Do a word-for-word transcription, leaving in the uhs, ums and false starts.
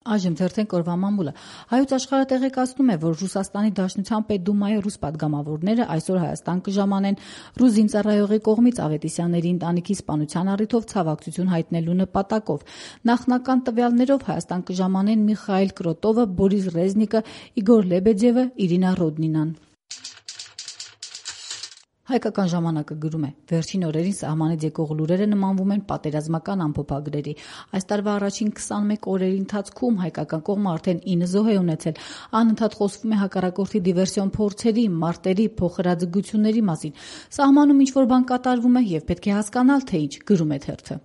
Այժմ թերթենք օրվա մամուլը։ Հայոց աշխարհը տեղեկացնում է, որ Ռուսաստանի Դաշնության Պետդումայի ռուս պատգամավորները այսօր Հայաստան կժամանեն ռուս զինծառայողի կողմից Ավետիսյանների ընտանիքի սպանության առիթով ցավակցություն հայտնելու նպատակով։ Նախնական տվյալներով Հայաստան կժամանեն Միխայիլ Կրոտովը, Բորիս Ռեզնիկը, Իգոր Լեբեդևը, Իրինա Ռոդնինան։ Հայկական ժամանակը գրում է. վերջին օրերին սահմանից եկող լուրերը նմանվում են պատերազմական ամփոփագրերի։ Այս տարվա առաջին քսանմեկ օրերի ընթացքում հայկական կողմը արդեն ինը զոհ է ունեցել։ Անընդհատ խոսվում է հակառակորդի դիվերսիոն փորձերի, մարտերի, փոխհրաձգությունների մասին։ Սահմանում ինչ-որ բան կատարվում է եւ պետք է հասկանալ, թե ինչ, գրում է թերթը։